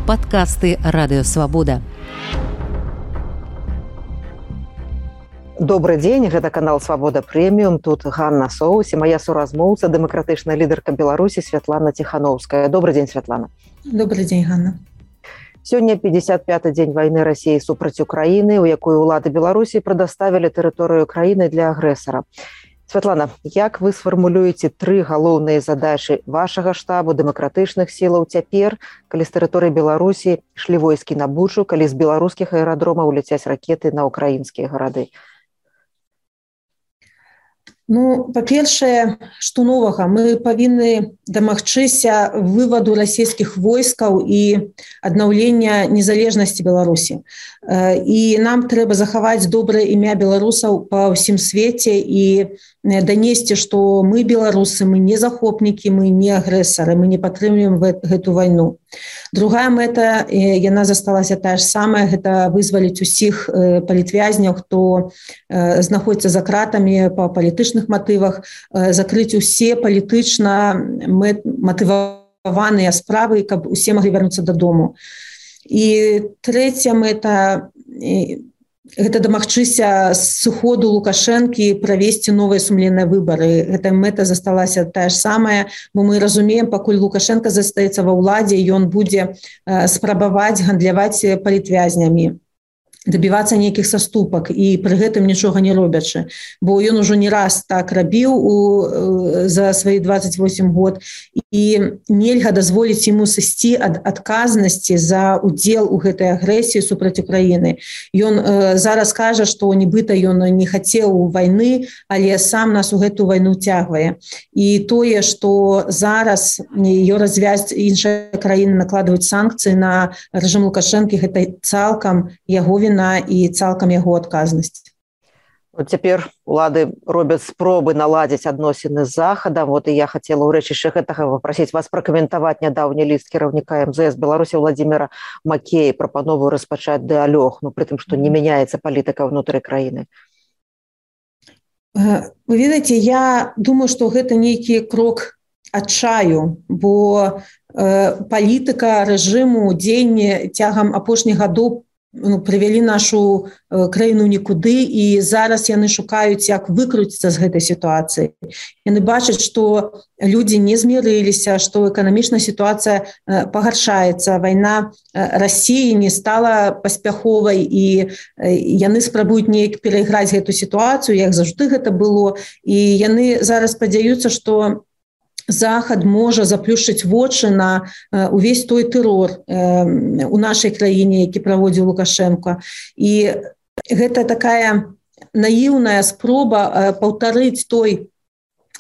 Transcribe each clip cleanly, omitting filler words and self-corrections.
Падкасты Радыёвабода. Добрый дзень, гэта канал Свабода Прэміум. Тут Ганна Соус і моя суразмоўца, дэмакратычная лідарка Беларусі Святлана Тихановская. Добрый дзень, Святлана. Добрый дзень, Ганна. Сёння 55-й дзень вайны Расіі супраць Украіны, у якой улады Беларусі прадаставілі тэрыторыю краіны для агрэсара. Святлана, як вы сфармулюеце тры галоўныя задачы вашага штабу дэмакратычных сілаў цяпер, калі з тэрыторыі Беларусі ішлі войскі на Бучу, калі з беларускіх аэрадромаў ляцяць ракеты на украінскія гарады? Ну, па-першае, што новага, мы павінны дамагчыся вываду расійскіх войскаў і аднаўлення незалежнасці Беларусі. І нам трэба захаваць добрае імя беларусаў па ўсім свеце і данесці, што мы беларусы, мы не захопнікі, мы не агрэсары, мы не падтрымліваем гэту вайну. Другая мэта, яна засталася тая ж самая, гэта вызваліць усіх палітвязняў, хто знаходзіцца за кратамі па палітычных матывах, закрыць усе палітычна матываваныя справы, каб усе маглі вярнуцца дадому. І трэця мэта, гэта дамагчыся сыходу Лукашэнкі правесці новыя сумленныя выбары. Гэта мэта засталася тая ж самая, бо мы разумеем, пакуль Лукашенко застаецца ва ўладзе, ён будзе спрабаваць гандляваць палітвязнямі, дабівацца нейкіх саступак і пры гэтым нічога не робячы. Бо ён ужо не раз так рабіў за свае 28 год, і нельга дазволіць яму сысці ад адказнасці за удзел у гэтай агрэсіі супраць Украіны. Ён зараз кажа, што нібыта ён не хацеў вайны, але сам нас у гэту вайну цягвае. І тое, што зараз ее развязць іншыя краіны накладваюць санкцыі на рэжым Лукашэнкі, гэта цалкам яго віна і цалкам яго адказнасць. Вот цяпер улады робяць спробы наладзіць адносіны з Захадам. Вот і я хацела ў рэчышча гэтага папрасіць вас пракаментаваць нядаўні ліст кіраўніка МЗС Беларусі Владзіміра Макея, прапанову распачаць дыалог, ну, пры тым, што не мяняецца палітыка ўнутры краіны. Вы ведаеце, я думаю, што гэта нейкі крок адчаю, бо палітыка рэжыму дзеяння цягам апошніх гадоў прывялі нашу краіну нікуды, і зараз яны шукаюць, як выкруціцца з гэтай сітуацыі. Яны бачаць, што людзі не змірыліся, што эканамічная сітуацыя пагаршаецца, вайна Расіі не стала паспяховай, і яны спрабуюць неяк перайграць гэту сітуацыю, як заўжды гэта было, і яны зараз спадзяюцца, што Захад можа заплюшчыць вочы на увесь той тэрор у нашай краіне, які праводзіў Лукашенко. І гэта такая наіўная спроба паўтарыць той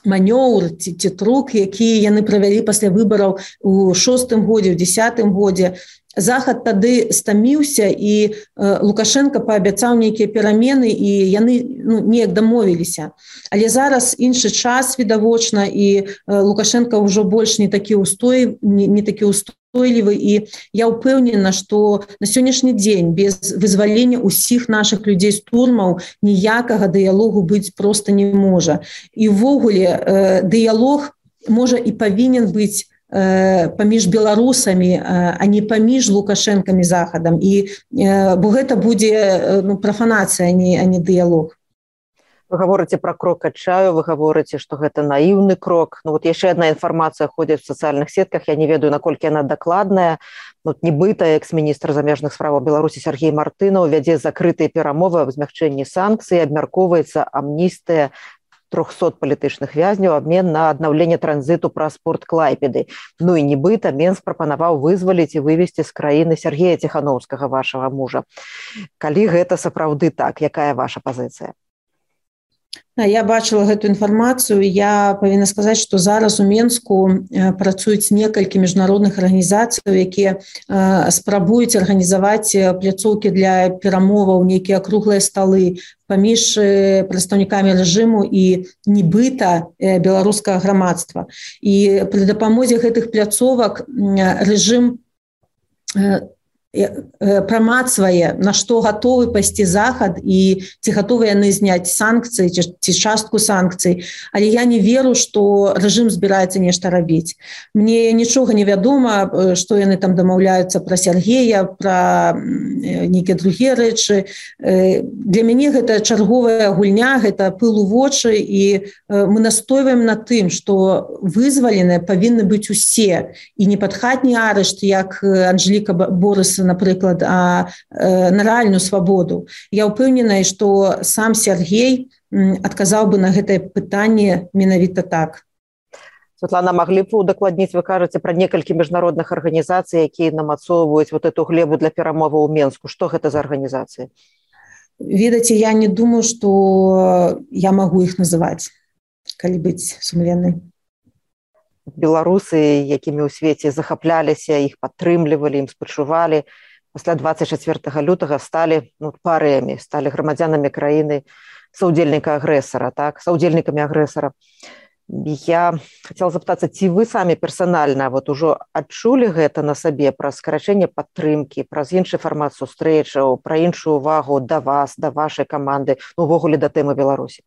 манёўр ці трук, які яны правялі пасля выбараў у 6-м годзе, у 10-м годзе. Захад тады стаміўся, і Лукашенко паабяцаў нейкія перамены, і яны неяк дамовіліся. Але зараз іншы час відавочна, і Лукашенко ўжо больш не такі устойлівы, і я ўпэўнена, што на сённяшні дзень без вызвалення ўсіх нашых людзей з турмаў ніякага дыялогу быць проста не можа. І ўвогуле дыялог можа і павінен быць паміж беларусамі, а не паміж Лукашэнкамі Захадам. І бо гэта будзе прафанацыя, а не дыялог. Вы гаворыце пра крок адчаю, вы гаворыце, што гэта наіўны крок. Ну вот яшчэ адна інфармацыя ходзіць в сацыяльных сетках, я не ведаю, наколькі яна дакладная. Вот нібыта экс-міністр замежных справаў Беларусі Сергей Мартынаў вядзе закрытыя перамовы аб змягчэнні санкцый, абмяркоўваецца амністыя 300 палітычных вязняў, абмен на аднаўленне транзіту праз порт Клайпеды. Ну і нібыта Менск прапанаваў вызваліць і вывесці з краіны Сергея Тихановскага, вашага мужа. Калі гэта сапраўды так, якая ваша пазіцыя? Я бачыла гэту інфармацыю. Я павінна сказаць, што зараз у Менску працуюць некалькі міжнародных арганізацый, якія спрабуюць арганізаваць пляцоўкі для перамоваў, нейкія круглыя сталы паміж прадстаўнікамі рэжыму і нібыта беларускага грамадства. І пры дапамозе гэтых пляцовак рэжым прамацвае, на што гатовы пайсці захад і ці гатовы яны зняць санкцыі ці частку санкцый. Але я не веру, што рэжым збіраецца нешта рабіць. Мне нічога не вядома, што яны там дамаўляюцца пра Сергея, пра нейкія другія рэчы. Для мяне гэта чарговая гульня, гэта пыл у вочы, і мы настойваем на тым, што вызваленыя павінны быць усе, і не пад хатні арышт, як Анжеліка Борыса, напрыклад, а на рэальную свабоду. Я ўпэўненая, што сам Сергей адказаў бы на гэтае пытанне менавіта так. Святлана, маглі б удакладніць, вы кажаце пра некалькі міжнародных арганізацый, якія намацоўваюць вот эту глебу для перамоваў у Менску. Што гэта за арганізацыі? Ведаце, я не думаю, што я магу іх называць, калі быць сумленнай. Беларусы, якімі ў свеце захапляліся, іх падтрымлівалі, ім спачувалі, пасля 24 лютага сталі парыямі, сталі грамадзянамі краіны саўдзельніка агрэсара, так, саўдзельнікамі агрэсара. Я хацела запытацца, ці вы самі персанальна вот ужо адчулі гэта на сабе праз скарачэнне падтрымкі, праз іншы фармат сустрэчаў, пра іншую увагу да вас, да вашай каманды, увогуле да тэмы Беларусі?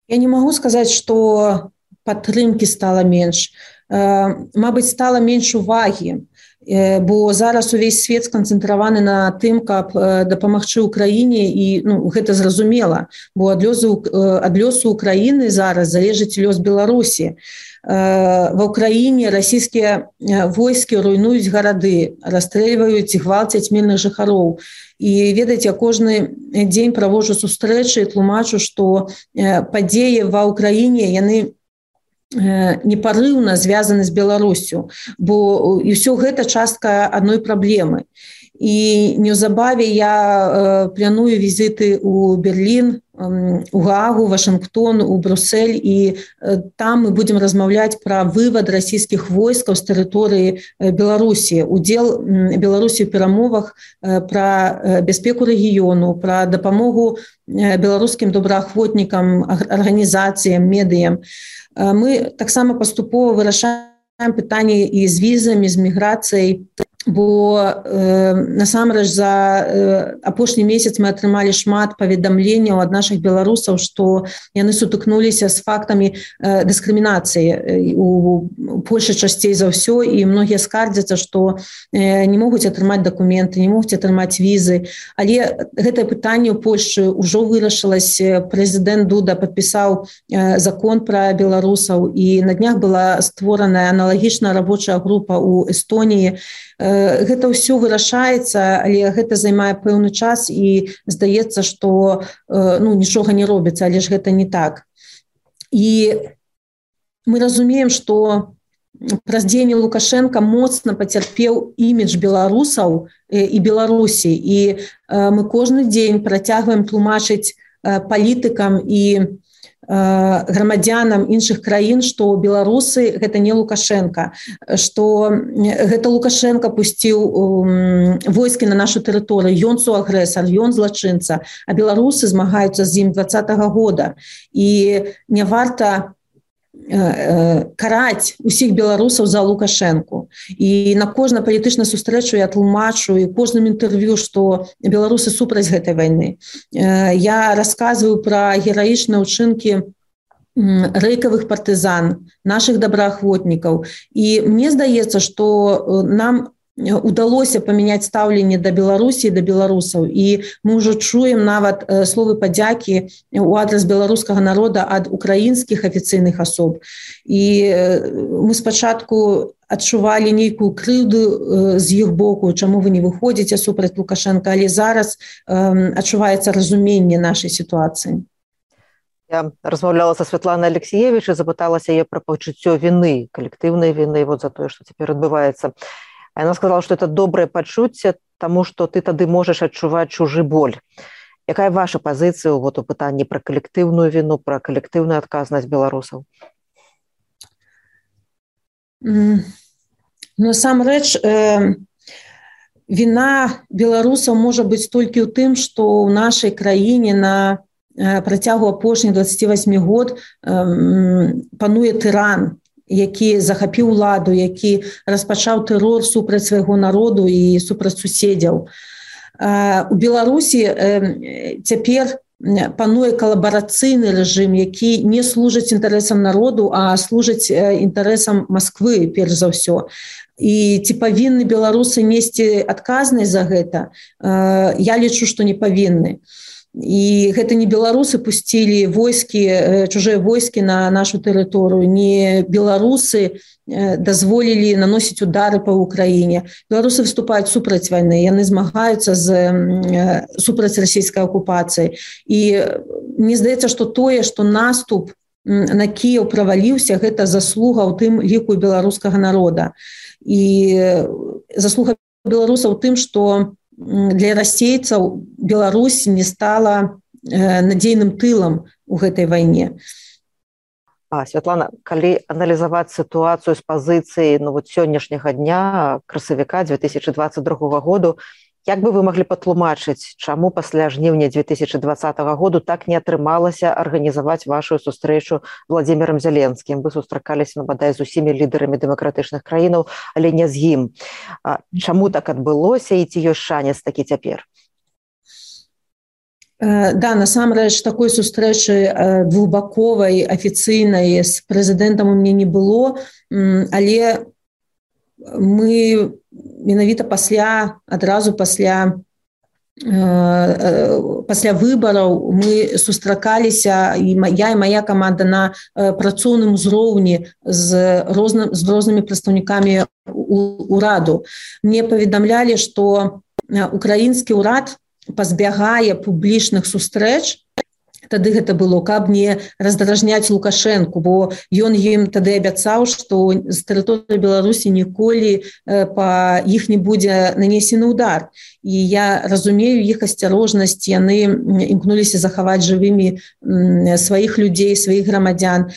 Я не магу сказаць, што падтрымкі стала менш. Мабыць, стала менш увагі, бо зараз увесь свет сканцэнтраваны на тым, каб дапамагчы ўкраіне, і гэта зразумела, бо ад лёсу Украіны зараз залежыць лёс Беларусі. Ва ўкраіне расійскія войскі руйнуюць гарады, расстрэльваюць і гвалцяць мірных жыхароў. І ведаеце, кожны дзень праводжу сустрэчы і тлумачу, што падзеі ва ўкраіне, яны непарыўна звязаны з Беларусю, бо і ўсё гэта частка адной праблемы. І неўзабаве я планую візіты ў Берлін, у Гаагу, Вашынгтон, у Брюссель, і там мы будзем размаўляць пра вывад расійскіх войскаў з тэрыторыі Беларусі, удзел Беларусі ў перамовах пра бяспеку рэгіёну, пра дапамогу беларускім добраахвотнікам, арганізацыям, медыям. Мы таксама паступова вырашаем пытанні і з візамі, з міграцыяй, бо насамрэч за апошні месяц мы атрымалі шмат паведамленняў ад нашых беларусаў, што яны сутыкнуліся з фактамі дыскрымінацыі у Польшы часцей за ўсё, і многія скардзяцца, што не могуць атрымаць дакументы, не могуць атрымаць візы. Але гэтае пытанне ў Польшчы ўжо вырашылася. Прэзідэнт Дуда падпісаў закон пра беларусаў, і на днях была створаная аналагічная рабочая група ў Эстоніі. Гэта ўсё вырашаецца, але гэта займае пэўны час, і здаецца, што нічога не робіцца, але ж гэта не так. І мы разумеем, што праз дзеянне Лукашенка моцна пацярпеў імідж беларусаў і Беларусі, і мы кожны дзень працягваем тлумачыць палітыкам і грамадзянам іншых краін, што беларусы гэта не Лукашенка, што гэта Лукашенка пусціў войскі на нашу тэрыторыю, ён суагрэсар, ён злачынца, а беларусы змагаюцца з ім 2020 года. І не варта караць усіх беларусаў за Лукашенку. І на кожнай палітычнай сустрэчу я тлумачу і кожным інтэрв'ю, што беларусы супраць гэтай вайны. Я расказваю пра гераічныя ўчынкі рэйкавых партызан, нашых добраахвотнікаў. І мне здаецца, што нам удалося памяняць стаўленне да Беларусі і да беларусаў, і мы ўжо чуем нават словы падзякі ў адрас беларускага народа ад украінскіх афіцыйных асоб. І мы спачатку адчувалі нейкую крыўду з іх боку, чаму вы не выходзіце супраць Лукашенка, але зараз адчуваецца разуменне нашай сітуацыі. Я размаўляла са Святланай Алексеевич і запыталася яе пра пачуццё віны, калектыўнай віны вот за тое, што цяпер адбываецца. А яна сказала, што это добрае пачуцце, таму што ты тады можаш адчуваць чужы боль. Якая ваша пазіцыя у пытанні пра калектыўную віну, пра калектыўную адказнасць беларусаў? Насамрэч, віна беларусаў можа быць толькі ў тым, што ў нашай краіне на працягу апошніх 28 год пануе тыран, які захапіў уладу, які распачаў тэрор супраць свайго народу і супраць суседзяў. У Беларусі цяпер пануе калабарацыйны рэжым, які не служыць інтарэсам народу, а служыць інтарэсам Масквы, перш за ўсё. І ці павінны беларусы несці адказнасць за гэта? Я лічу, што не павінны. І гэта не беларусы пусцілі войскі, чужыя войскі на нашу тэрыторыю, не беларусы дазволілі наносіць удары па Украіне. Беларусы выступаюць супраць вайны, яны змагаюцца супраць расійскай акупацыі. І мне здаецца, што тое, што наступ на Кіеў праваліўся, гэта заслуга ў тым ліку беларускага народа. І заслуга беларусаў у тым, што для расейцаў Беларусь не стала надзейным тылам у гэтай вайне. Святлана, калі аналізаваць сітуацыю з пазіцыі сённяшняга дня, красавіка 2022 году, як бы вы маглі патлумачыць, чаму пасля жніўня 2020 году так не атрымалася арганізаваць вашу сустрэчу Владзімірам Зеленскім? Вы сустракаліся, бадай, з усімі лідарамі дэмакратычных краінаў, але не з ім. Чаму так адбылося і ці ёсць шанец такі цяпер? Да, насамрэч, такой сустрэчы двухбаковай, афіцыйнай з прэзідэнтам у мяне не было, але мы менавіта адразу пасля выбараў мы сустракаліся, я і мая каманда, на працоўным узроўні з рознымі прадстаўнікамі ўраду. Мне паведамлялі, што украінскі ўрад пазбягае публічных сустрэч, тады гэта было, каб не раздражняць Лукашэнку, бо ён ім тады абяцаў, што з тэрыторыі Беларусі ніколі па іх не будзе нанесены ўдар. І я разумею іх асцярожнасць, яны імкнуліся захаваць жывымі сваіх людзей, сваіх грамадзян.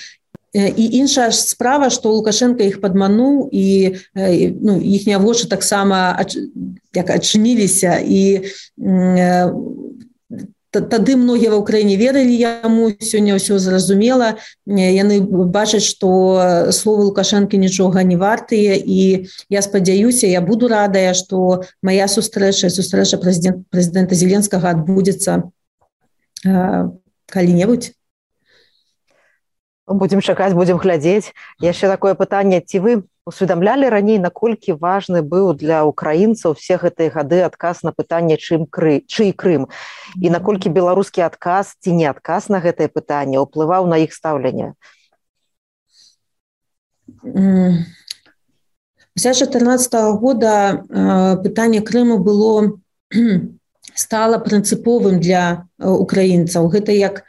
І іншая справа, што Лукашенко іх падмануў, і іхнія вочы таксама адчыніліся, і тады многія ва ўкраіне верылі яму, сёння ўсё зразумела, яны бачаць, што словы Лукашэнкі нічога не вартыя, і я спадзяюся, я буду радая, што мая сустрэча прэзідэнта Зеленскага адбудзецца калі-небудзь. Будзем чакаць, будзем глядзець. Яшчэ такое пытанне, ці вы усведамлялі раней, наколькі важны быў для украінцаў все гэтыя гады адказ на пытанне, чый Крым, і наколькі беларускі адказ ці не адказ на гэтае пытанне ўплываў на іх стаўленне? Пасля 2014 года пытанне Крыму стала прынцыповым для украінцаў. Гэта як,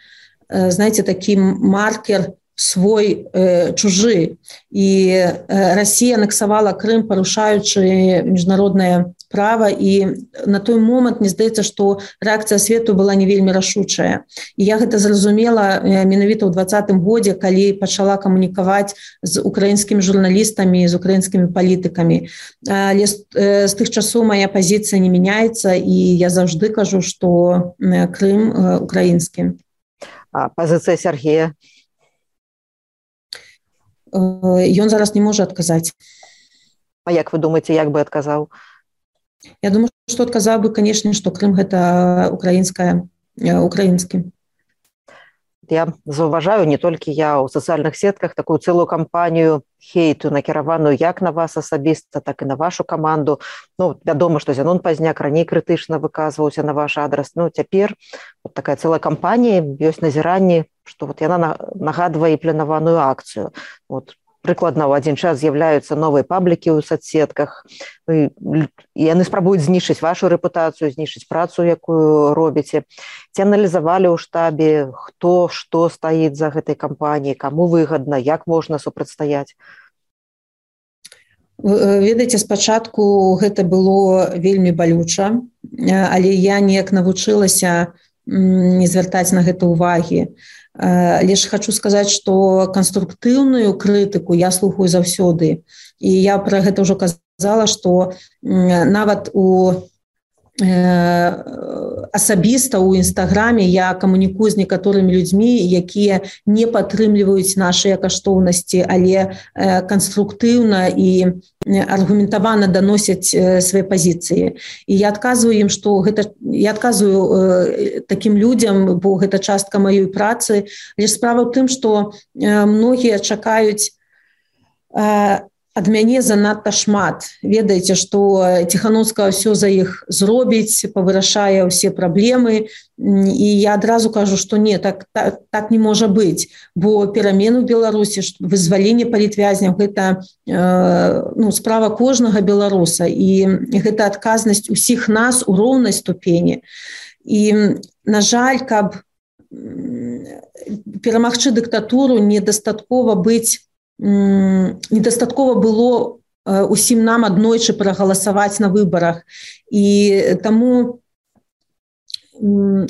знаеце, такі маркер свой чужы. І Расія анексавала Крым, парушаючы міжнароднае права, і на той момант мне здаецца, што рэакцыя свету была не вельмі рашучая. І я гэта зразумела менавіта ў 2020 годзе, калі пачала камунікаваць з украінскімі журналістамі, з украінскімі палітыкамі. Але з тых часоў мая пазіцыя не мяняецца, і я заўжды кажу, што Крым украінскі. А пазіцыя Сергея? Ён зараз не можа адказаць. А як вы думаеце, як бы адказаў? Я думаю, што адказаў бы, канешне, што Крым гэта украінскі. Я заўважаю, не толькі я ў сацыяльных сетках, такую цэлую кампанію хейту, накіраваную як на вас асабіста, так і на вашу каманду. Вядома, што Зянон Пазняк раней крытычна выказваўся на ваш адрас. Цяпер такая цэлая кампанія, ёсць назіранні, што яна нагадвае і планаваную акцыю. Прыкладна ў адзін час з'яўляюцца новыя паблікі ў соцсетках, і яны спрабуюць знішчыць вашу рэпутацыю, знішчыць працу, якую робіце. Ці аналізавалі ў штабе, хто што стаіць за гэтай кампаніяй, каму выгадна, як можна супрацьстаяць? Ведаеце, спачатку гэта было вельмі балюча, але я неяк навучылася не звяртаць на гэта ўвагі. Але ж хочу сказаць, што канструктыўную крытыку я слухаю заўсёды. І я пра гэта ўжо казала, што нават у асабіста ў інстаграме я камунікую з некаторымі людзьмі, якія не падтрымліваюць нашыя каштоўнасці, але канструктыўна і аргументавана даносяць свае пазіцыі. І я адказваю ім, што я адказваю такім людзям, бо гэта частка маёй працы, але справа ў тым, што многія чакаюць ад мяне занадта шмат. Ведаеце, што Ціхановская ўсё за іх зробіць, павырашае ўсе праблемы. І я адразу кажу, што не, так не можа быць. Бо перамены ў Беларусі, вызваленне палітвязняў, гэта справа кожнага беларуса. І гэта адказнасць усіх нас у роўнай ступені. І, на жаль, каб перамагчы дыктатуру, недастаткова было усім нам аднойчы прагаласаваць на выбарах. І таму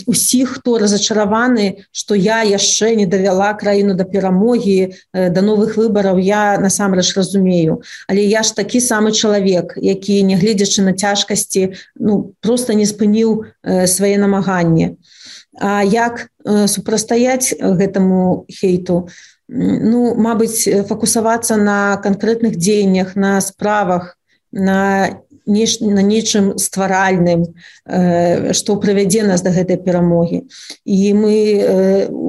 усіх, хто разачараваны, што я яшчэ не давяла краіну да перамогі, да новых выбараў, я насамрэч разумею. Але я ж такі самы чалавек, які, нягледзячы на цяжкасці, проста не спыніў свае намаганні. А як супрацьстаяць гэтаму хейту? Мабыць, фокусавацца на канкрэтных дзеяннях, на справах, на нечым стваральным, што прывядзе нас да гэтай перамогі. І мы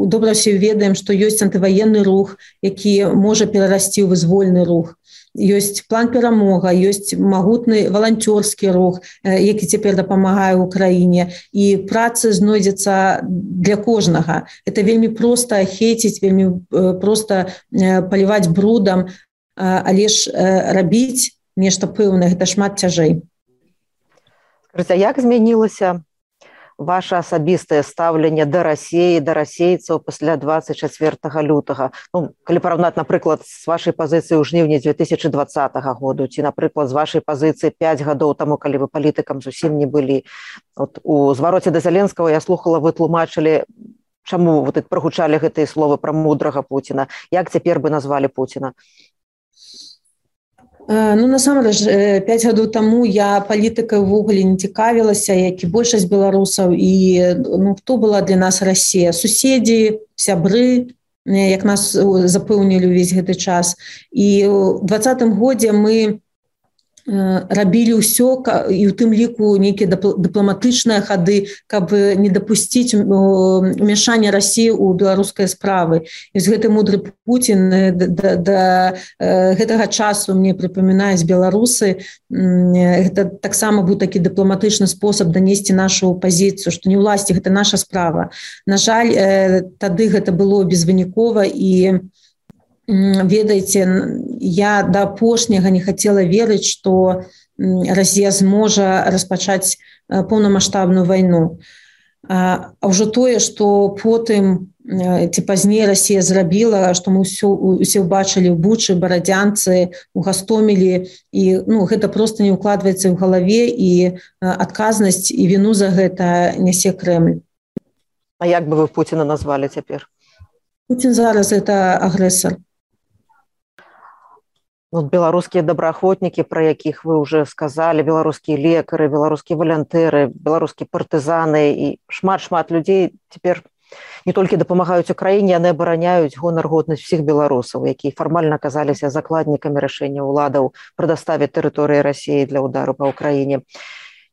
добра ўсе ведаем, што ёсць антываенны рух, які можа перарасці ў вызвольны рух. Ёсць план перамога, ёсць магутны валанцёрскі рух, які цяпер дапамагае ў краіне. І працы знойдзецца для кожнага. Это вельмі проста хейціць, вельмі проста паліваць брудам, але ж рабіць нешта пэўнае, гэта шмат цяжэй. Скажыце, як змянілася ваше асабістае стаўленне да Расіі, да расейцаў пасля 24 лютага? Калі параўнаць, напрыклад, з вашай пазіцыі ў жніўні 2020 году, ці, напрыклад, з вашай пазіцыі 5 гадоў таму, калі вы палітыкам зусім не былі. У звароце да Зеленскага я слухала, вы тлумачылі, чаму прагучалі гэтыя словы пра мудрага Пуціна. Як цяпер бы назвалі Пуціна? Насамрэч, 5 гадоў таму я палітыкай увогуле не цікавілася, як і большасць беларусаў. І хто была для нас Расія? Суседзі, сябры, як нас запэўнілі ўвесь гэты час. І ў 2020 годзе мы рабілі ўсё, і ў тым ліку нейкія дыпламатычныя хады, каб не дапусціць умяшання Расіі ў беларускай справы. І з гэты мудры Пуцін да гэтага часу мне прыпамінаюць беларусы. Гэта таксама быў такі дыпламатычны спосаб данесці нашу пазіцыю, што не ўласці, гэта наша справа. На жаль, тады гэта было безвынікова, і ведаеце, я да апошняга не хацела верыць, што Расія зможа распачаць поўнамаштабную вайну. А ўжо тое, што потым ці пазней Расія зрабіла, што мы ўсе ўбачылі ў Бучы, Барадзянцы, у Гастомелі, і гэта проста не ўкладваецца ў галаве, і адказнасць і віну за гэта нясе Крэмль. А як бы вы Пуціна назвалі цяпер? Пуцін зараз гэта агрэсар. Беларускія добраахвотнікі, пра якіх вы ўжо сказалі, беларускія лекары, беларускія валянтэры, беларускія партызаны і шмат людзей цяпер не толькі дапамагаюць Украіне, яны абараняюць гонар, годнасць усіх беларусаў, якія фармальна аказаліся закладнікамі рашэння ўладаў прадаставіць тэрыторыі Расіі для удару па Украіне.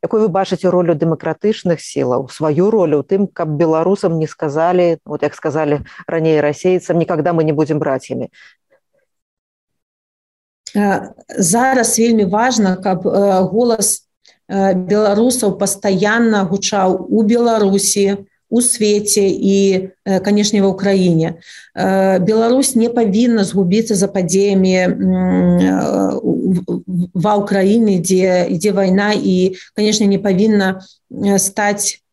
Якую вы бачыце ролю дэмакратычных сілаў, сваю ролю ў тым, каб беларусам не сказалі, як сказалі раней расейцам, нікогда мы не будзем братьямі? Зараз вельмі важна, каб голас беларусаў пастаянна гучаў у Беларусі, у свеце і, канешне, ва Ўкраіне. Беларусь не павінна згубіцца за падзеямі ва Ўкраіне, дзе ідзе вайна, і, канешне, не павінна стаць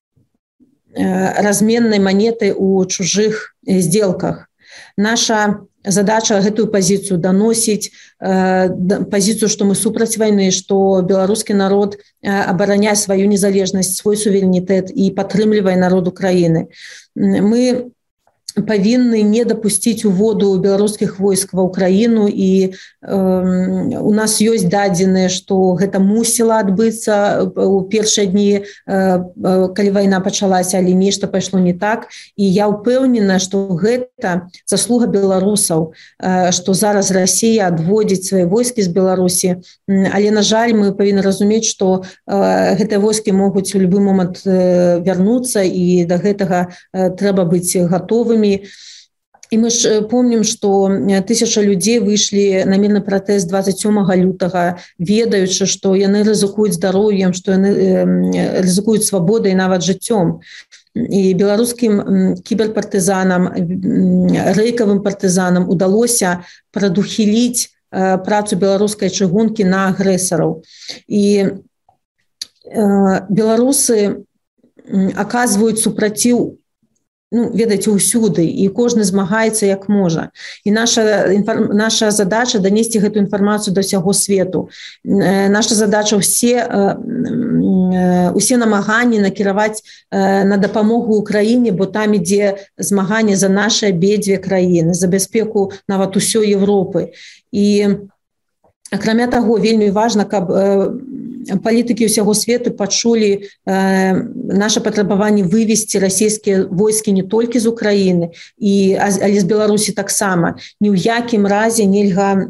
разменнай манетай у чужых здзелках. Наша задача гэтую пазіцыю даносіць, пазіцыю, што мы супраць вайны, што беларускі народ абараняе сваю незалежнасць, свой суверэнітэт і падтрымлівае народ Украіны. Мы павінны не дапусціць уводу беларускіх войск ва ўкраіну, і у нас ёсць дадзеныя, што гэта мусіла адбыцца у першыя дні, калі вайна пачалася, але нешта пайшло не так. І я ўпэўнена, што гэта заслуга беларусаў, што зараз Расія адводзіць свае войскі з Беларусі, але, на жаль, мы павінны разумець, што гэтыя войскі могуць у любы момант вярнуцца, і да гэтага трэба быць гатовымі. І мы ж помнім, што 1000 людзей выйшлі на мірны пратэст 27 лютага, ведаючы, што яны рызыкуюць здароўем, што яны рызыкуюць свабодай, нават жыццём. І беларускім кіберпартызанам, рэйкавым партызанам удалося прадухіліць працу беларускай чыгункі на агрэсараў. І беларусы аказваюць супраціў, ведаеце, усюды, і кожны змагаецца як можа. І наша задача данесці гэту інфармацыю да ўсяго свету. Наша задача усе намаганні накіраваць на дапамогу Украіне, бо там ідзе змаганне за нашы абедзве краіны, за бяспеку нават усёй Европы. І акрамя таго, вельмі важна, каб палітыкі ўсяго свету пачулі наша патрабаванне вывесці расійскія войскі не толькі з Украіны, але з Беларусі таксама. Ні ў якім разе нельга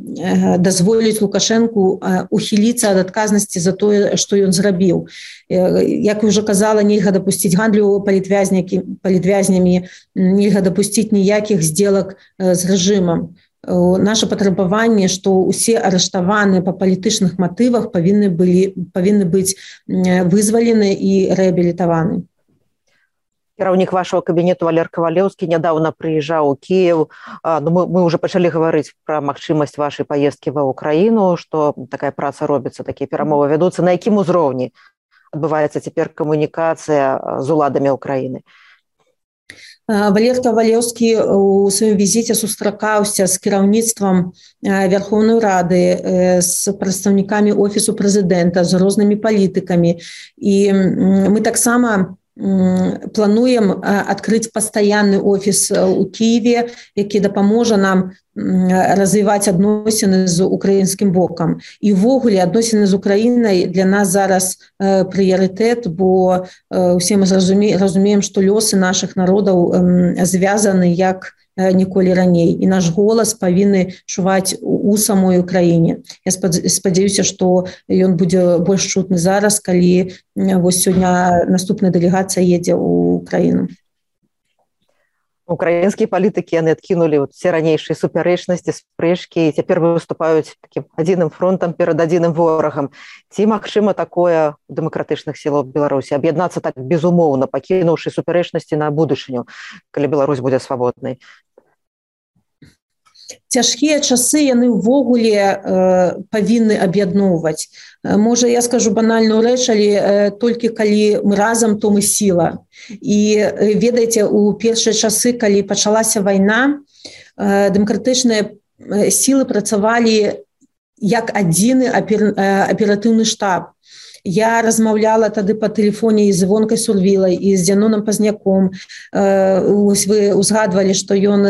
дазволіць Лукашэнку ухіліцца ад адказнасці за тое, што ён зрабіў. Як я ўжо казала, нельга дапусціць гандлю палітвязнямі, нельга дапусціць ніякіх здзелак з рэжымам. Наше патрабаванне, што ўсе арыштаваныя па палітычных матывах павінны быць вызвалены і рэабілітаваны. Кіраўнік вашего кабінету Валер Кавалеўскі нядаўна прыязджаў у Кіев. Мы уже пачалі гаварыць пра магчымасць вашай паездкі ва ўкраіну, што такая праца робіцца, такія перамовы вядуцца. На якім узроўні адбываецца цяпер камунікацыя з уладамі ўкраіны? Валер Кавалеўскі у сваім візіце сустракаўся з кіраўніцтвам Верховнай Рады, з прадстаўнікамі офісу прэзідэнта, з рознымі палітыкамі. І мы таксама плануем адкрыць пастаянны офіс у Кіеве, які дапаможа нам развіваць адносіны з украінскім бокам. І ўвогуле адносіны з Украінай для нас зараз прыярытэт, бо усе мы разумеем, што лёсы нашых народаў звязаны як ніколі раней. І наш голас павінны чуваць у самой Украіне. Я спадзяюся, што ён будзе больш чутны зараз, калі вось сёння наступная дэлегацыя едзе ў Украіну. Украінскія палітыкі, яны адкінулі все ранейшыя супярэчнасці, спрэчкі, і цяпер выступаюць такім адзіным фронтам перад адзіным ворагам. Ці магчыма такое у дэмакратычных сілах Беларусі аб'яднацца так безумоўна, пакінуўшы супярэчнасці на будучыню, калі Беларусь будзе свабоднай? Цяжкія часы, яны ўвогуле павінны аб'ядноўваць. Можа, я скажу банальную рэч, але толькі калі мы разам, то мы сіла. І ведаеце, у першыя часы, калі пачалася вайна, дэмакратычныя сілы працавалі як адзіны аператыўны штаб. Я размаўляла тады па тэлефоне і з Івонкай Сурвілай, і з Дзяноном Пазняком. Вы узгадвалі, што ён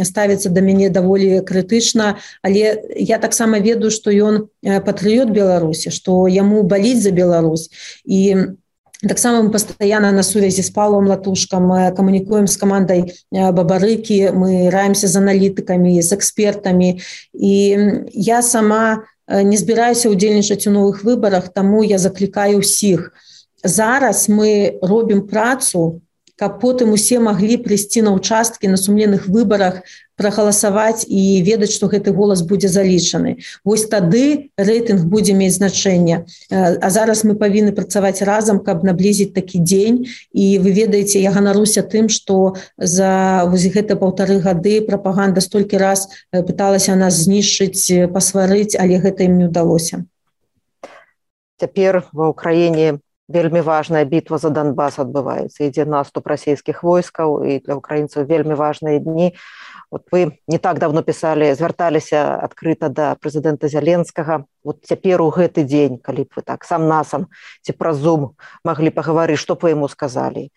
ставіцца да мяне даволі крытычна, але я таксама ведаю, што ён патрыёт Беларусі, што яму баліць за Беларусь. І таксама мы пастаянна на сувязі з Паўлам Латушкам, камунікуем з камандай Бабарыкі, мы раімся з аналітыкамі, з экспертамі. І я сама не збіраюся ўдзельнічаць у новых выбарах, таму я заклікаю ўсіх. Зараз мы робім працу, каб потым усе маглі прыйсці на ўчасткі на сумленных выбарах, прагаласаваць і ведаць, што гэты голас будзе залічаны. Вось тады рэйтынг будзе мець значэнне. А зараз мы павінны працаваць разам, каб наблізіць такі дзень. І вы ведаеце, я ганаруся тым, што за гэта 1,5 гады прапаганда столькі раз пыталася нас знішчыць, пасварыць, але гэта ім не ўдалося. Цяпер ва ўкраіне вельмі важная бітва за Донбас адбываецца. Ідзе наступ расійскіх войскаў, і для украінцаў вельмі важныя дні. Вот вы не так давно пісалі, звярталіся адкрыта да прэзідэнта Зяленскага. Вот цяпер у гэты дзень, калі б вы так сам-насам ці праз Zoom маглі пагаварыць, што б вы яму сказалі?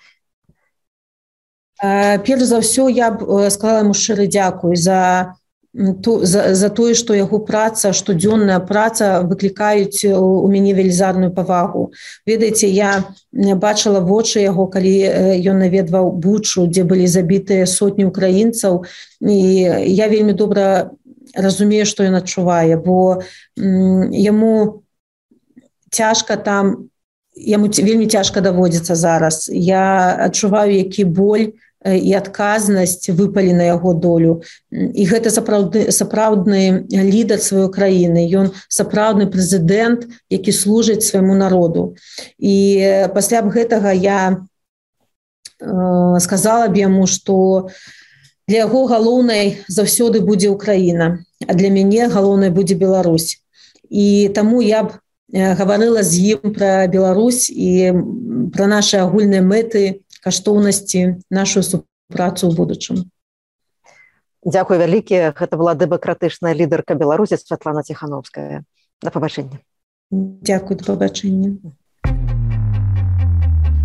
Перш за ўсё я б сказала яму шчыры дзякуй за тое, што яго праца, штодзённая праца выклікаюць у мяне велізарную павагу. Ведаеце, я бачыла вочы яго, калі ён наведваў Бучу, дзе былі забітыя сотні украінцаў, і я вельмі добра разумею, што ён адчувае, бо яму цяжка там, яму вельмі цяжка даводзіцца зараз. Я адчуваю, які боль і адказнасць выпалі на яго долю. І гэта сапраўдны лідар сваёй краіны. Ён сапраўдны прэзідэнт, які служыць свайму народу. І пасля б гэтага я сказала б яму, што для яго галоўнай заўсёды будзе Украіна, а для мяне галоўнай будзе Беларусь. І таму я б гаварыла з ім пра Беларусь і пра нашы агульныя мэты, каштоўнасці, нашу супрацу ў будучым. Дзякуй вялікі. Гэта была дэмакратычная лідарка Беларусі Святлана Ціхановская. Да пабачэння. Дзякуй, да пабачэння.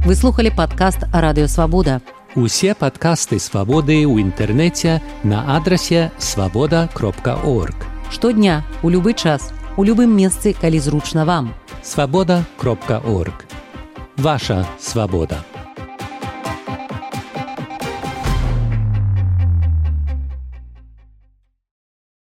Вы слухали падкаст Радыё Свабода. Усе падкасты Свабоды ў інтэрнэце на адрасе свабода.орг. Штодня, у любы час, у любым месцы, калі зручна вам. Свабода.орг. Ваша свабода.